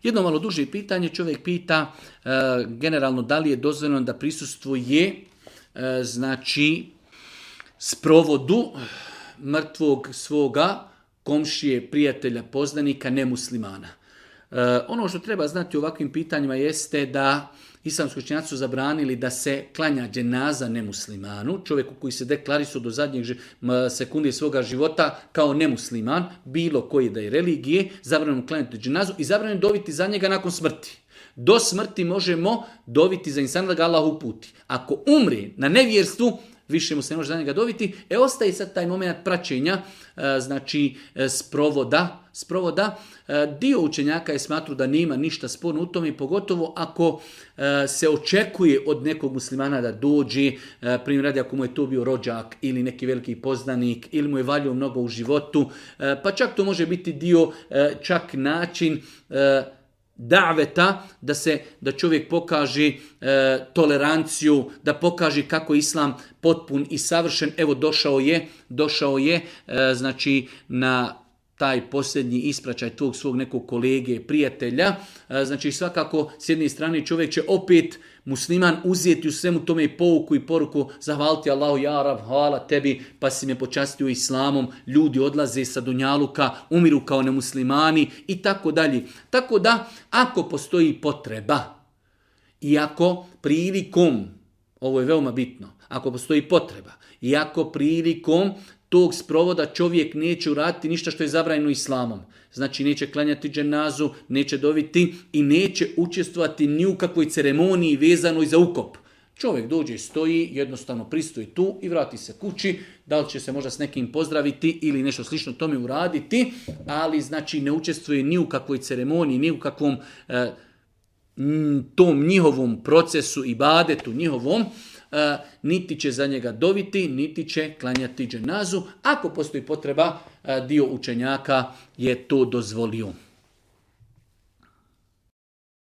Jedno malo duže pitanje, čovjek pita generalno da li je dozvoljeno da prisustvuje sprovodu mrtvog svoga komšije, prijatelja, poznanika, nemuslimana. Ono što treba znati u ovakvim pitanjima jeste da islamski učenjaci su zabranili da se klanja dženaza nemuslimanu, čovjeku koji se deklarisao do zadnjeg sekunde svoga života kao nemusliman, bilo koji da je religije, zabranimo klanjati dženazu i zabranimo doviti za njega nakon smrti. Do smrti možemo doviti za insana da ga Allah uputi. Ako umri na nevjerstvu, više mu se ne može za njega doviti. Ostaje sad taj moment praćenja, sprovoda. Dio učenjaka je smatru da nema ništa sporno u tome, pogotovo ako se očekuje od nekog muslimana da dođe, primjer radi ako mu je to bio rođak ili neki veliki poznanik ili mu je valjao mnogo u životu, pa čak to može biti dio, čak način daveta, da čovjek pokaže toleranciju, da pokaže kako je islam potpun i savršen. Evo došao je na taj posljednji ispraćaj tog svog nekog kolege, prijatelja. Svakako s jedne strane čovjek će opet musliman uzeti u svemu tome pouku i poruku, zahvaliti Allahu, ja Rab, hvala tebi, pa si me počastio islamom, ljudi odlaze sa dunjaluka, umiru kao nemuslimani i tako dalje. Tako da, ako postoji potreba i ako prilikom, ovo je veoma bitno, ako postoji potreba i ako prilikom tog sprovoda čovjek neće uraditi ništa što je zabranjeno islamom. Znači neće klanjati dženazu, neće doviti i neće učestvovati ni u kakvoj ceremoniji vezanoj za ukop. Čovjek dođe, stoji, jednostavno pristoji tu i vrati se kući. Da li će se možda s nekim pozdraviti ili nešto slično tome uraditi, ali ne učestvuje ni u kakvoj ceremoniji, ni u kakvom tom njihovom procesu ibadetu njihovom, niti će za njega doviti, niti će klanjati dženazu. Ako postoji potreba, dio učenjaka je to dozvolio.